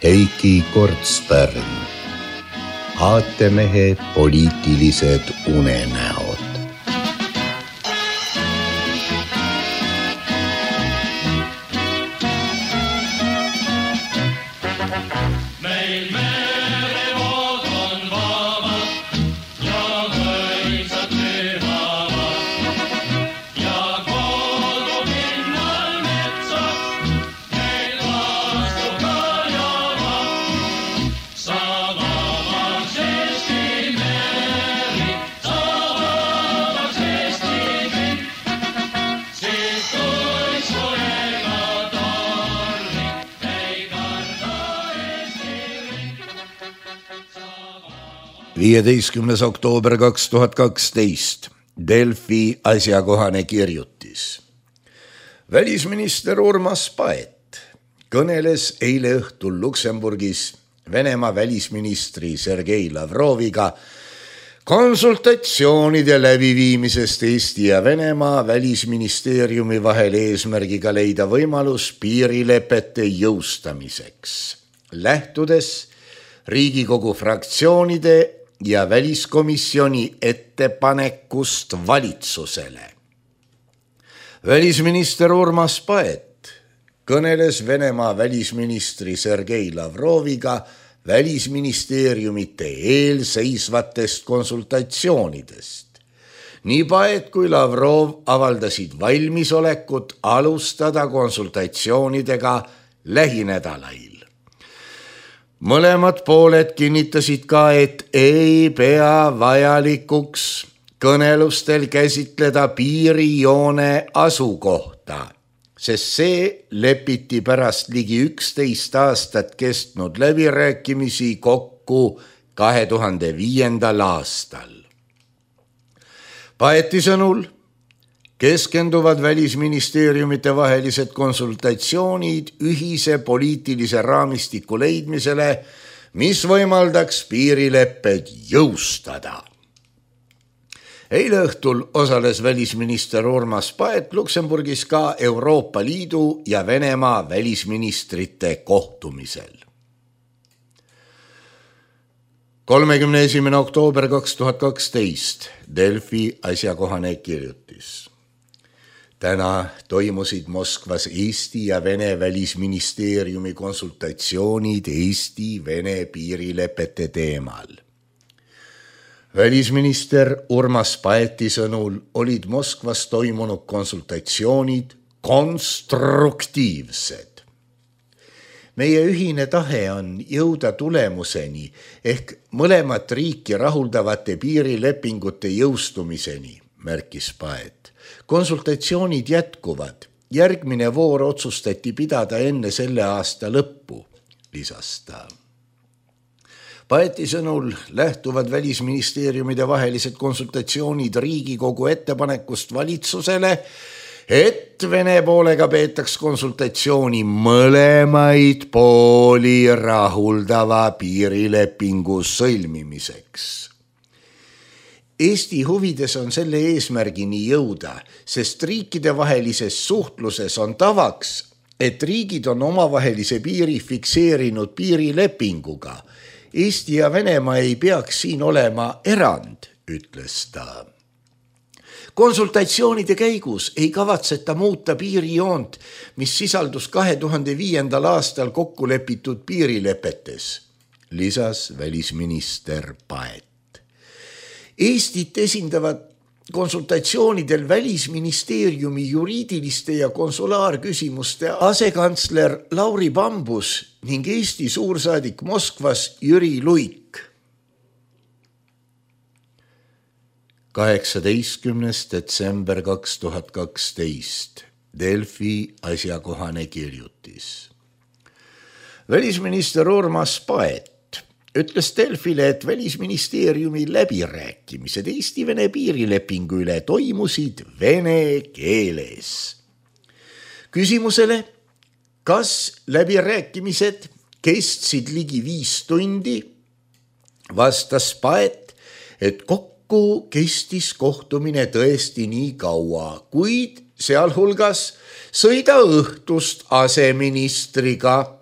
Heiki Kortspärn, aatemehe poliitilised unenäod. Meil merevood on vabad ja mõisad pühavad ja kogu pinnal metsad meil vastu ka javad. Sa vabaks Eesti meri, sa vabaks Eesti kõik, siis kui soega tormi ei karda Eesti riik. 15. oktoober 2012. Delfi asjakohane kirjutis. Välisminister Urmas Paet kõneles eile õhtul Luksemburgis Venemaa välisministri Sergei Lavroviga konsultatsioonide läbiviimisest Eesti ja Venemaa välisministeeriumi vahel eesmärgiga leida võimalus piirilepete jõustamiseks, lähtudes Riigikogu fraktsioonide ja väliskomisjoni ettepanekust valitsusele. Välisminister Urmas Paet kõneles Venemaa välisministri Sergei Lavroviga välisministeeriumite eelseisvatest konsultatsioonidest. Nii Paet kui Lavrov avaldasid valmisolekut alustada konsultatsioonidega lähinädalail. Mõlemad pooled kinnitasid ka, et ei pea vajalikuks kõnelustel käsitleda piirijoone asukohta, sest see lepiti pärast ligi 11 aastat kestnud läbirääkimisi kokku 2005. aastal. Paeti sõnul keskenduvad välisministeeriumite vahelised konsultatsioonid ühise poliitilise raamistiku leidmisele, mis võimaldaks piirilepped jõustada. Eile õhtul osales välisminister Urmas Paet Luksemburgis ka Euroopa Liidu ja Venemaa välisministrite kohtumisel. 31. oktoober 2012. Delfi asjakohane kirjutis. Täna toimusid Moskvas Eesti ja Vene välisministeeriumi konsultatsioonid Eesti-Vene piirilepete teemal. Välisminister Urmas Paeti sõnul olid Moskvas toimunud konsultatsioonid konstruktiivsed. Meie ühine tahe on jõuda tulemuseni ehk mõlemat riiki rahuldavate piirilepingute jõustumiseni, märkis Paet. Konsultatsioonid jätkuvad. Järgmine voor otsustati pidada enne selle aasta lõppu, lisas ta. Paeti sõnul lähtuvad välisministeeriumide vahelised konsultatsioonid Riigikogu ettepanekust valitsusele, et Vene poolega peetaks konsultatsiooni mõlemaid pooli rahuldava piirilepingu sõlmimiseks. Eesti huvides on selle eesmärgini jõuda, sest riikide vahelises suhtluses on tavaks, et riigid on omavahelise piiri fikseerinud piirilepinguga. Eesti ja Venemaa ei peaks siin olema erand, ütles ta. Konsultatsioonide käigus ei kavatseta muuta piirijoont, mis sisaldus 2005. aastal kokku lepitud piirilepetes, lisas välisminister Paet. Eestit esindavad konsultatsioonidel välisministeeriumi juriidiliste ja konsulaarküsimuste asekantsler Lauri Bambus ning Eesti suursaadik Moskvas Jüri Luik. 18. detsember 2012. Delfi asjakohane kirjutis. Välisminister Urmas Paet ütles Delfile, et välisministeeriumi läbirääkimised Eesti-Vene piirilepingu üle toimusid vene keeles. Küsimusele, kas läbirääkimised kestsid ligi 5 tundi, vastas Paet, et kokku kestis kohtumine tõesti nii kaua, kuid sealhulgas sõida õhtust aseministriga,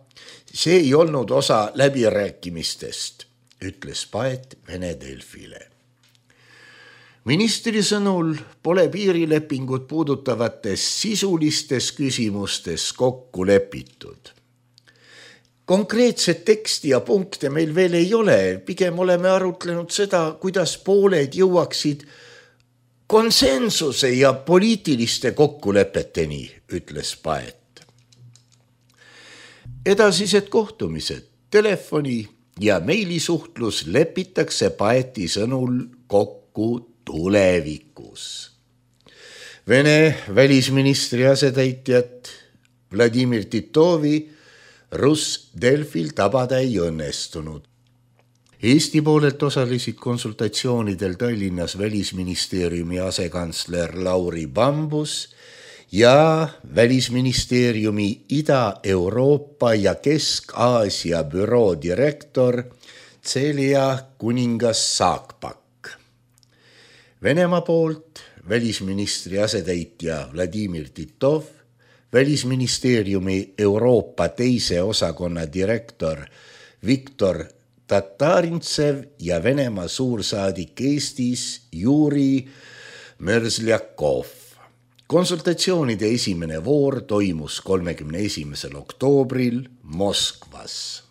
See ei olnud osa läbirääkimistest, ütles Paet Vene Delfile. Ministri sõnul pole piirilepingut puudutavates sisulistes küsimustes kokku lepitud. Konkreetset teksti ja punkte meil veel ei ole, pigem oleme arutlenud seda, kuidas pooled jõuaksid konsensuse ja poliitiliste kokkulepeteni, ütles Paet. Edasised kohtumised, telefoni ja meilisuhtlus lepitakse Paeti sõnul kokku tulevikus. Vene välisministri asetäitjat Vladimir Titovi Russ Delfil tabada ei õnnestunud. Eesti poolelt osalesid konsultatsioonidel Tallinnas välisministeeriumi asekantsler Lauri Bambus ja välisministeeriumi Ida-Euroopa ja Kesk-Aasia büroo direktor Celia Kuningas-Saakpak. Venemaa poolt välisministri asetäitja Vladimir Titov, välisministeeriumi Euroopa teise osakonna direktor Viktor Tatarintsev ja Venemaa suursaadik Eestis Juri Mörzljakov. Konsultatsioonide esimene voor toimus 31. oktoobril Moskvas.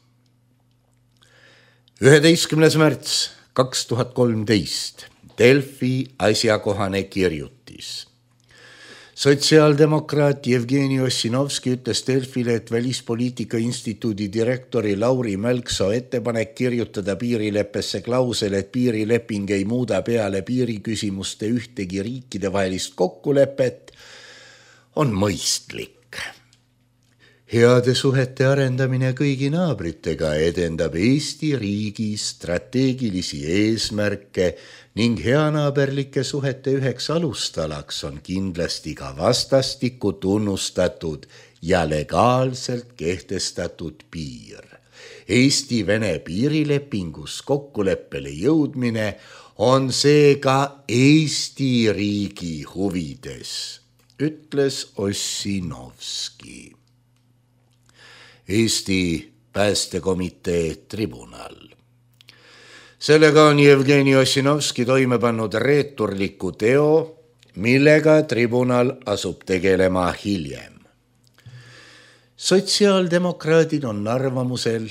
11. märts 2013 Delfi asjakohane kirjutis. Sotsiaaldemokraat Jevgeni Ossinovski ütles Delfile, et Välispoliitika Instituudi direktori Lauri Mälksoo ettepanek kirjutada piirileppesse klausel, et piirileping ei muuda peale piiriküsimuste ühtegi riikide vahelist kokkulepet, on mõistlik. Heade suhete arendamine kõigi naabritega edendab Eesti riigi strateegilisi eesmärke ning heanaaberlike suhete üheks alustalaks on kindlasti ka vastastikku tunnustatud ja legaalselt kehtestatud piir. Eesti-Vene piirilepingus kokkuleppele jõudmine on seega Eesti riigi huvides, ütles Ossinovski. Eesti päästekomitee tribunal. Sellega on Jevgeni Ossinovski toime pannud reeturliku teo, millega tribunal asub tegelema hiljem. Sotsiaaldemokraadid on arvamusel,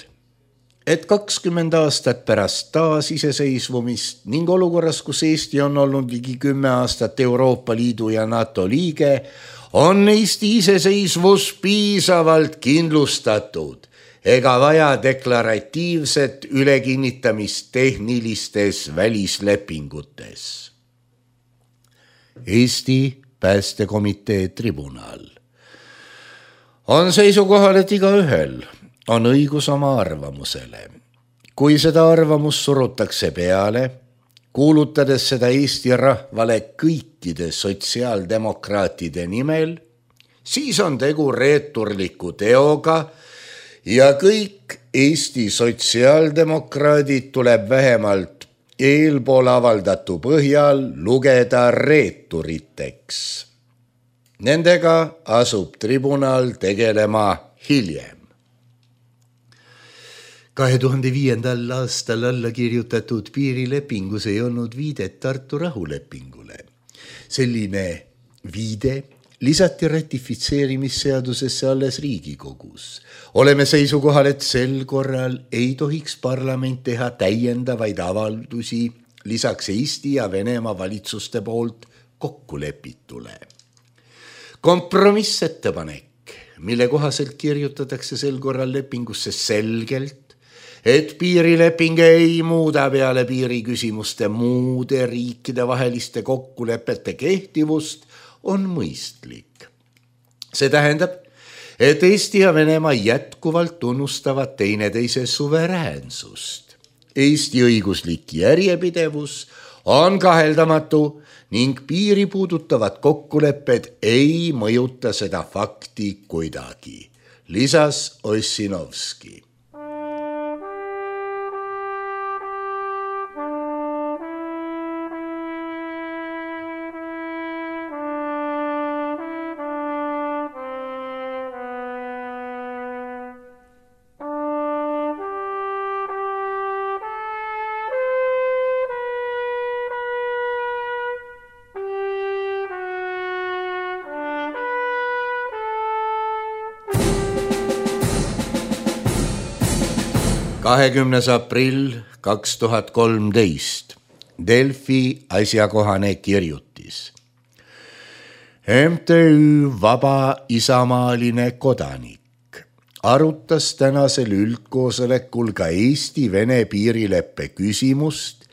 et 20 aastat pärast taasiseseisvumist ning olukorras, kus Eesti on olnud ligi 10 aastat Euroopa Liidu ja NATO liige, on Eesti iseseisvus piisavalt kindlustatud ega vaja deklaratiivset ülekinnitamist tehnilistes välislepingutes. Eesti päästekomitee tribunal on seisukohal, et igaühel on õigus oma arvamusele. Kui seda arvamust surutakse peale, kuulutades seda Eesti rahvale kõikide sotsiaaldemokraatide nimel, siis on tegu reeturliku teoga ja kõik Eesti sotsiaaldemokraadid tuleb vähemalt eelpool avaldatu põhjal lugeda reeturiteks. Nendega asub tribunal tegelema hiljem. 2005. aastal alla kirjutatud piirilepingus ei olnud viidet Tartu rahulepingule. Selline viide lisati ratifitseerimisseadusesse alles Riigikogus. Oleme seisukohal, et sel korral ei tohiks parlament teha täiendavaid avaldusi lisaks Eesti ja Venemaa valitsuste poolt kokkulepitule. Kompromissettepanek, mille kohaselt kirjutatakse sel korral lepingusse selgelt, et piirileping ei muuda peale piiriküsimuste muude riikide vaheliste kokkulepete kehtivust, on mõistlik. See tähendab, et Eesti ja Venemaa jätkuvalt tunnustavad teineteise suveräänsust. Eesti õiguslik järjepidevus on kaheldamatu ning piiri puudutavad kokkulepped ei mõjuta seda fakti kuidagi, lisas Ossinovski. 20. aprill 2013. Delfi asjakohane kirjutis. MTÜ Vaba Isamaaline Kodanik arutas tänasel üldkoosolekul ka Eesti-Vene piirileppe küsimust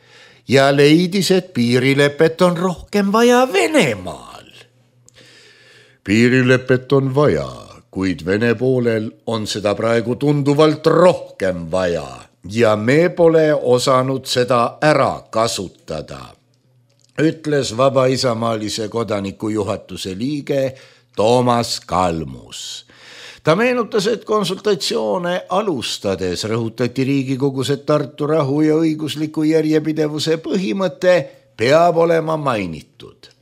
ja leidis, et piirilepet on rohkem vaja Venemaal. Piirilepet on vaja, kuid Vene poolel on seda praegu tunduvalt rohkem vaja ja me pole osanud seda ära kasutada, ütles Vaba Isamaalise Kodaniku juhatuse liige Toomas Kalmus. Ta meenutas, et konsultatsioone alustades rõhutati Riigikogus, et Tartu rahu ja õigusliku järjepidevuse põhimõte peab olema mainitud.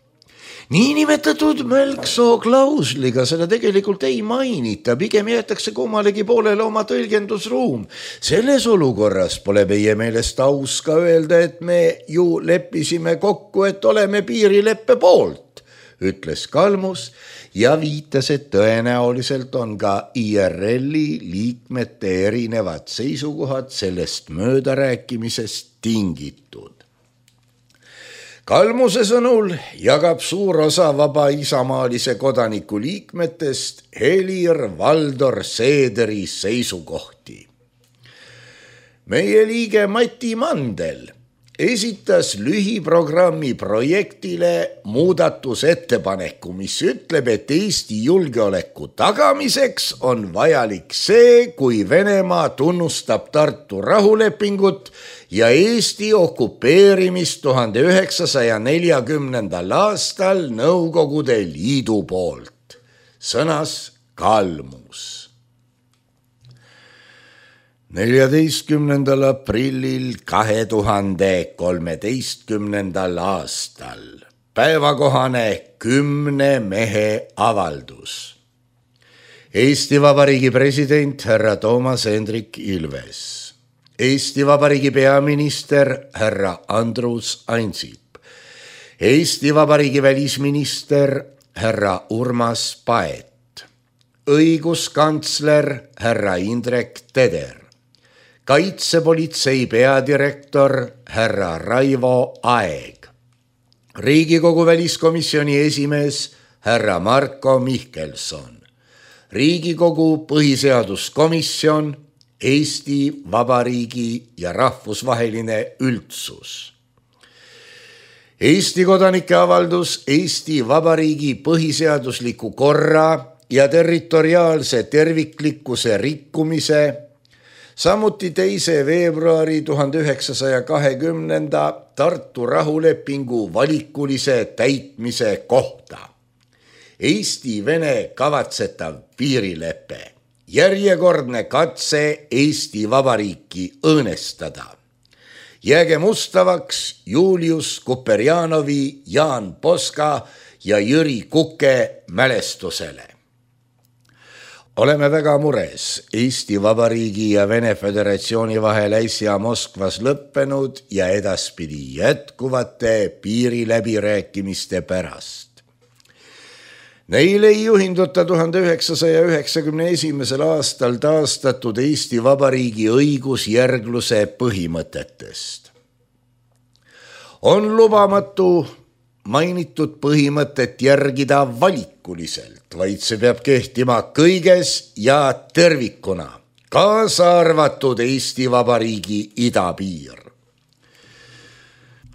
Niinimetatud Mölksoo klausliga seda tegelikult ei mainita, pigem jäetakse kummalegi poolele oma tõlgendusruum. Selles olukorras pole meie meelest aus ka öelda, et me ju leppisime kokku, et oleme piirileppe poolt, ütles Kalmus ja viitas, et tõenäoliselt on ka IRL-i liikmete erinevad seisukohad sellest möödarääkimisest tingitud. Kalmuse sõnul jagab suur osa Vaba Isamaalise Kodaniku liikmetest Helir-Valdor Seederi seisukohti. Meie liige Mati Mandel esitas lühiprogrammi projektile muudatusettepaneku, mis ütleb, et Eesti julgeoleku tagamiseks on vajalik see, kui Venemaa tunnustab Tartu rahulepingut ja Eesti okupeerimist 1940. aastal Nõukogude Liidu poolt, sõnas Kalmus. 14. aprillil 2013. aastal päevakohane 10 mehe avaldus. Eesti Vabariigi president härra Toomas Hendrik Ilves, Eesti Vabariigi peaminister härra Andrus Ansip, Eesti Vabariigi välisminister härra Urmas Paet, õiguskantsler härra Indrek Teder, kaitsepolitsei peadirektor härra Raivo Aeg, Riigikogu väliskomisjoni esimees härra Marko Mihkelson, Riigikogu põhiseaduskomisjon, Eesti Vabariigi ja rahvusvaheline üldsus. Eesti kodanike avaldus Eesti Vabariigi põhiseadusliku korra ja territoriaalse terviklikkuse rikkumise, samuti 2. veebruari 1920. Tartu rahulepingu valikulise täitmise kohta. Eesti-Vene kavatsetav piirilepe, järjekordne katse Eesti Vabariiki õõnestada. Jäägem ustavaks Julius Kuperjanovi, Jaan Poska ja Jüri Kuke mälestusele. Oleme väga mures Eesti Vabariigi ja Vene Föderatsiooni vahel äsja Moskvas lõppenud ja edaspidi jätkuvate piiriläbirääkimiste pärast. Neil ei juhinduta 1991. aastal taastatud Eesti Vabariigi õigusjärgluse põhimõtetest. On lubamatu mainitud põhimõtet järgida valikuliselt, vaid see peab kehtima kõiges ja tervikuna, kaasa arvatud Eesti Vabariigi idapiir.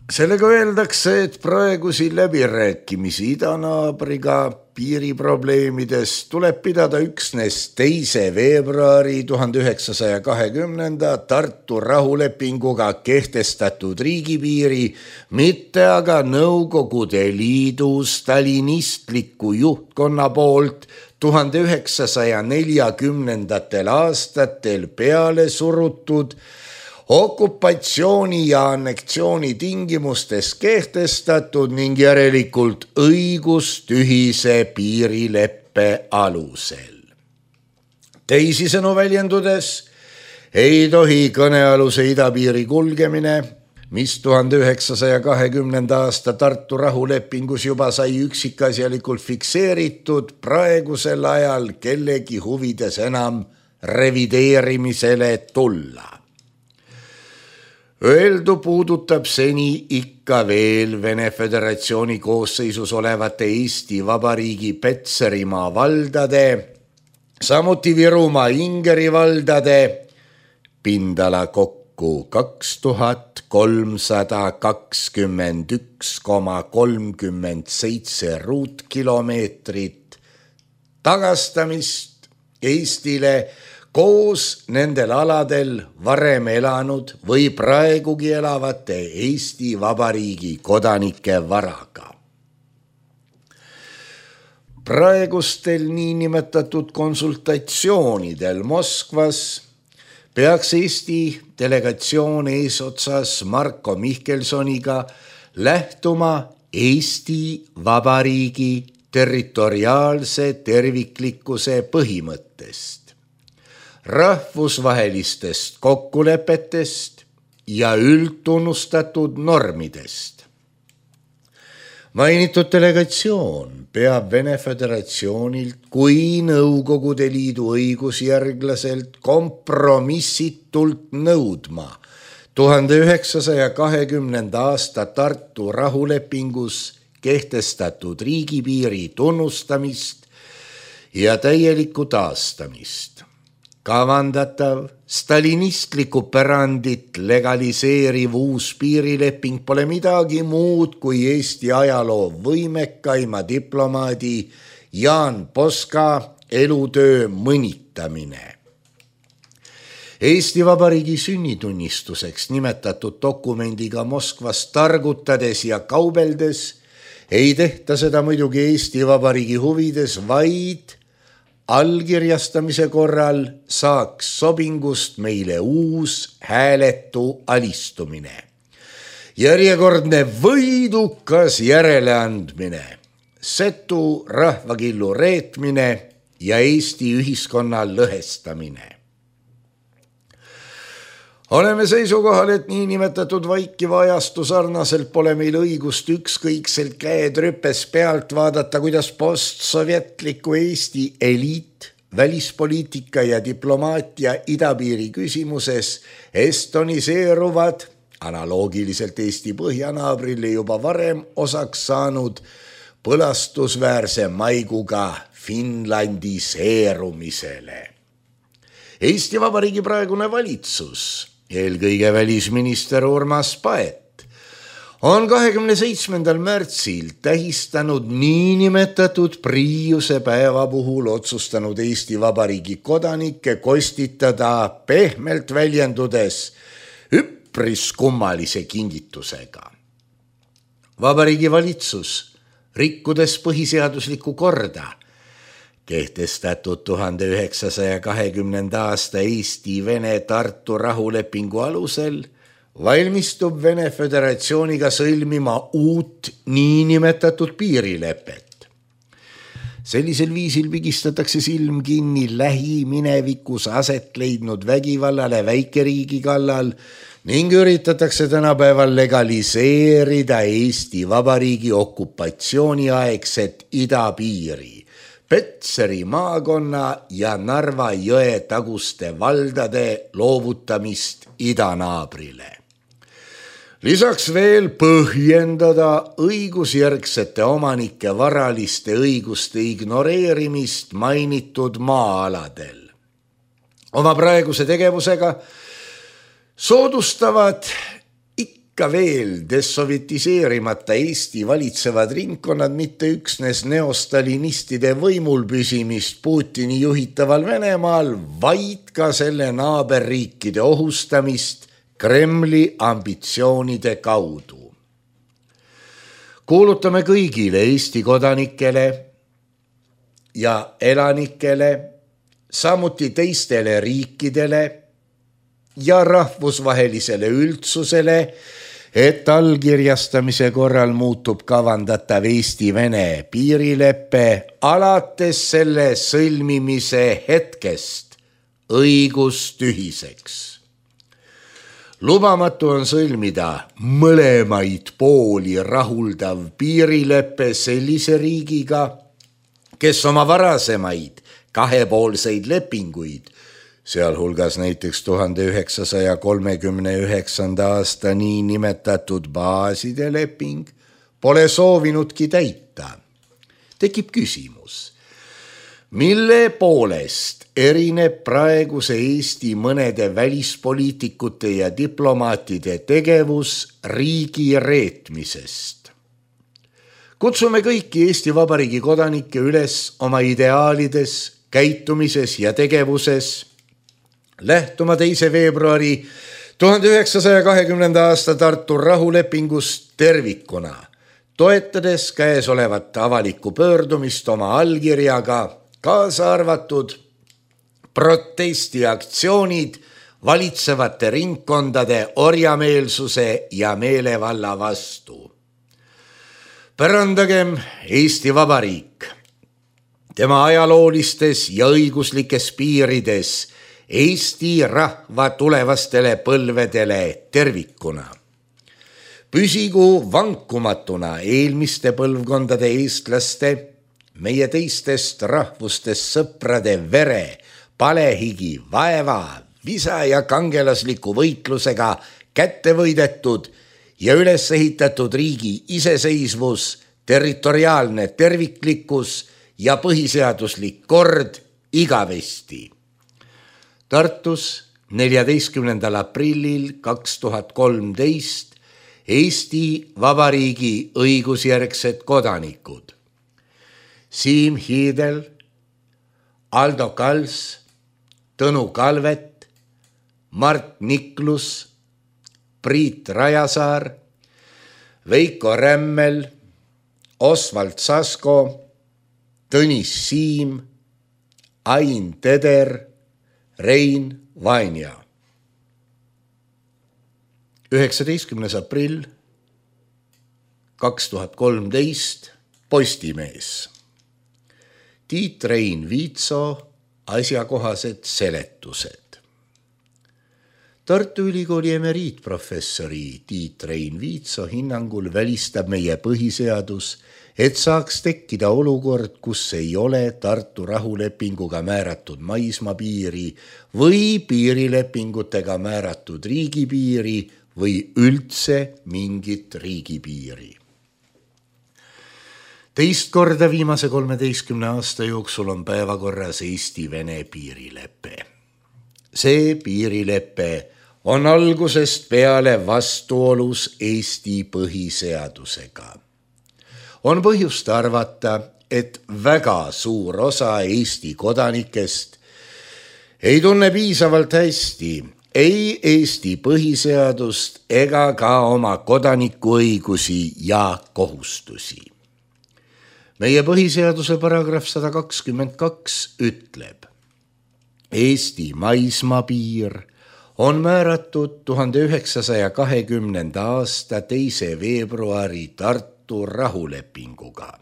Sellega öeldakse, et praegusi läbirääkimisi idanaabriga piiriprobleemidest tuleb pidada üksnes 2. veebruari 1920. Tartu rahulepinguga kehtestatud riigipiiri, mitte aga Nõukogude Liidu stalinistliku juhtkonna poolt 1940. aastatel peale surutud okupatsiooni ja anneksiooni tingimustes kehtestatud ning järelikult õigustühise piirileppe alusel. Teisisõnu väljendudes ei tohi kõnealuse idapiiri kulgemine, mis 1920. aasta Tartu rahulepingus juba sai üksikasjalikult fikseeritud, praegusel ajal kellegi huvides enam revideerimisele tulla. Öeldu puudutab seni ikka veel Vene Föderatsiooni koosseisus olevate Eesti Vabariigi Petserimaa valdade, samuti Virumaa Ingeri valdade pindala kokku 2321,37 ruutkilomeetrit tagastamist Eestile koos nendel aladel varem elanud või praegugi elavate Eesti Vabariigi kodanike varaga. Praegustel niinimetatud konsultatsioonidel Moskvas peaks Eesti delegatsioon eesotsas Marko Mihkelsoniga lähtuma Eesti Vabariigi territoriaalse terviklikkuse põhimõttest, rahvusvahelistest kokkulepetest ja üldtunnustatud normidest. Mainitud delegatsioon peab Vene Föderatsioonilt kui Nõukogude Liidu õigusjärglaselt kompromissitult nõudma 1920. aasta Tartu rahulepingus kehtestatud riigipiiri tunnustamist ja täielikku taastamist. Kavandatav stalinistlikku pärandit legaliseeriv uus piirileping pole midagi muud kui Eesti ajaloo võimekaima diplomaadi Jaan Poska elutöö mõnitamine. Eesti Vabariigi sünnitunnistuseks nimetatud dokumendiga Moskvas targutades ja kaubeldes ei tehta seda muidugi Eesti Vabariigi huvides, vaid allkirjastamise korral saaks sobingust meile uus hääletu alistumine. Järjekordne võidukas järeleandmine, setu rahvakillu reetmine ja Eesti ühiskonna lõhestamine. Oleme seisukohal, et niinimetatud vaikiva ajastu sarnaselt pole meil õigust ükskõikselt käed rüpes pealt vaadata, kuidas postsovjetliku Eesti eliit, välispoliitika ja diplomaatia idapiiri küsimuses estoniseeruvad, analoogiliselt Eesti põhjanaabrile juba varem osaks saanud põlastusväärse maiguga finlandiseerumisele. Eesti Vabariigi praegune valitsus, eelkõige välisminister Urmas Paet, on 27. märtsil tähistanud niinimetatud Priiuse päeva puhul otsustanud Eesti Vabariigi kodanikke kostitada pehmelt väljendudes üpris kummalise kingitusega. Vabariigi valitsus, rikkudes põhiseaduslikku korda, kehtestatud 1920. aasta Eesti-Vene Tartu rahulepingu alusel, valmistub Vene Föderatsiooniga sõlmima uut niinimetatud piirilepet. Sellisel viisil pigistatakse silm kinni lähiminevikus aset leidnud vägivallale väikeriigi kallal ning üritatakse tänapäeval legaliseerida Eesti Vabariigi okupatsiooniaegset idapiiri, Petseri maakonna ja Narva jõe taguste valdade loovutamist idanaabrile. Lisaks veel põhjendada õigusjärgsete omanike varaliste õiguste ignoreerimist mainitud maa-aladel. Oma praeguse tegevusega soodustavad ikka veel dessovjetiseerimata Eesti valitsevad ringkonnad mitte üksnes neostalinistide võimul püsimist Putini juhitaval Venemaal, vaid ka selle naaberriikide ohustamist Kremli ambitsioonide kaudu. Kuulutame kõigile Eesti kodanikele ja elanikele, samuti teistele riikidele ja rahvusvahelisele üldsusele, et allkirjastamise korral muutub kavandatav Eesti-Vene piirilepe alates selle sõlmimise hetkest õigustühiseks. Lubamatu on sõlmida mõlemaid pooli rahuldav piirilepe sellise riigiga, kes oma varasemaid kahepoolseid lepinguid sealhulgas näiteks 1939. aasta niinimetatud baaside leping, pole soovinudki täita. Tekib küsimus, mille poolest erineb praeguse Eesti mõnede välispoliitikute ja diplomaatide tegevus riigi reetmisest. Kutsume kõiki Eesti Vabariigi kodanikke üles oma ideaalides, käitumises ja tegevuses lähtuma 2. veebruari 1920. aasta Tartu rahulepingust tervikuna, toetades käesolevat avalikku pöördumist oma allkirjaga, kaasa arvatud protestiaktsioonid valitsevate ringkondade orjameelsuse ja meelevalla vastu. Pärandagem Eesti Vabariik tema ajaloolistes ja õiguslikes piirides Eesti rahva tulevastele põlvedele tervikuna. Püsigu vankumatuna eelmiste põlvkondade eestlaste, meie teistest rahvustest sõprade vere, palehigi, vaeva, visa ja kangelasliku võitlusega kätte võidetud ja üles ehitatud riigi iseseisvus, territoriaalne terviklikkus ja põhiseaduslik kord igavesti. Tartus 14. aprillil 2013 Eesti Vabariigi õigusjärgsed kodanikud Siim Hiidel, Aldo Kals, Tõnu Kalvet, Mart Niklus, Priit Rajasaar, Veiko Rämmel, Osvald Sasko, Tõnis Siim, Ain Teder, Rein Vainja. 19. aprill 2013 Postimees. Tiit Rein Viitso asjakohased seletused. Tartu Ülikooli emeriitprofessori Tiit Rein Viitso hinnangul välistab meie põhiseadus, et saaks tekkida olukord, kus ei ole Tartu rahulepinguga määratud maismaapiiri või piirilepingutega määratud riigipiiri või üldse mingit riigipiiri. Teist korda viimase 13 aasta jooksul on päevakorras Eesti-Vene piirilepe. See piirilepe on algusest peale vastuolus Eesti põhiseadusega. On põhjust arvata, et väga suur osa Eesti kodanikest ei tunne piisavalt hästi ei Eesti põhiseadust ega ka oma kodanikuõigusi ja kohustusi. Meie põhiseaduse paragrahv 122 ütleb, Eesti maismaapiir on määratud 1920. aasta 2. veebruari Tartu rahulepinguga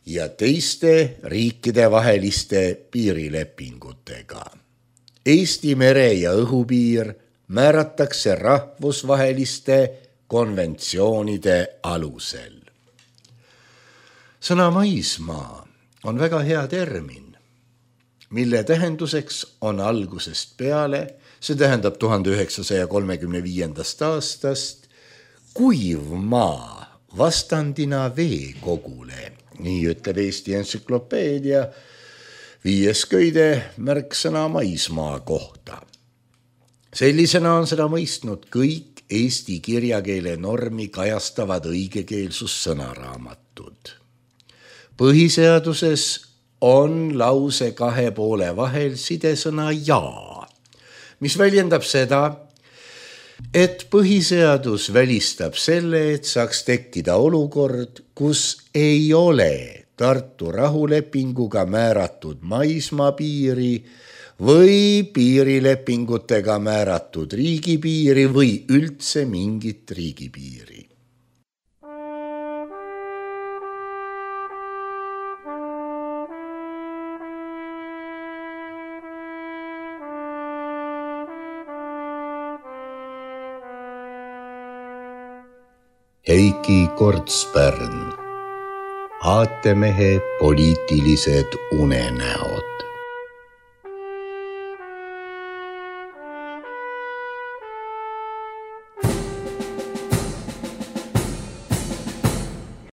ja teiste riikide vaheliste piirilepingutega. Eesti mere- ja õhupiir määratakse rahvusvaheliste konventsioonide alusel. Sõna maismaa on väga hea termin, mille tähenduseks on algusest peale, see tähendab 1935. aastast, kuiv maa vastandina veekogule, nii ütleb Eesti entsüklopeedia 5. köide märksõna maismaa kohta. Sellisena on seda mõistnud kõik Eesti kirjakeele normi kajastavad õigekeelsussõnaraamatud. Põhiseaduses on lause 2 poole vahel sidesõna ja, mis väljendab seda, et põhiseadus välistab selle, et saaks tekkida olukord, kus ei ole Tartu rahulepinguga määratud maismaapiiri või piirilepingutega määratud riigipiiri või üldse mingit riigipiiri. Heiki Kortspärn, aatemehe poliitilised unenäod.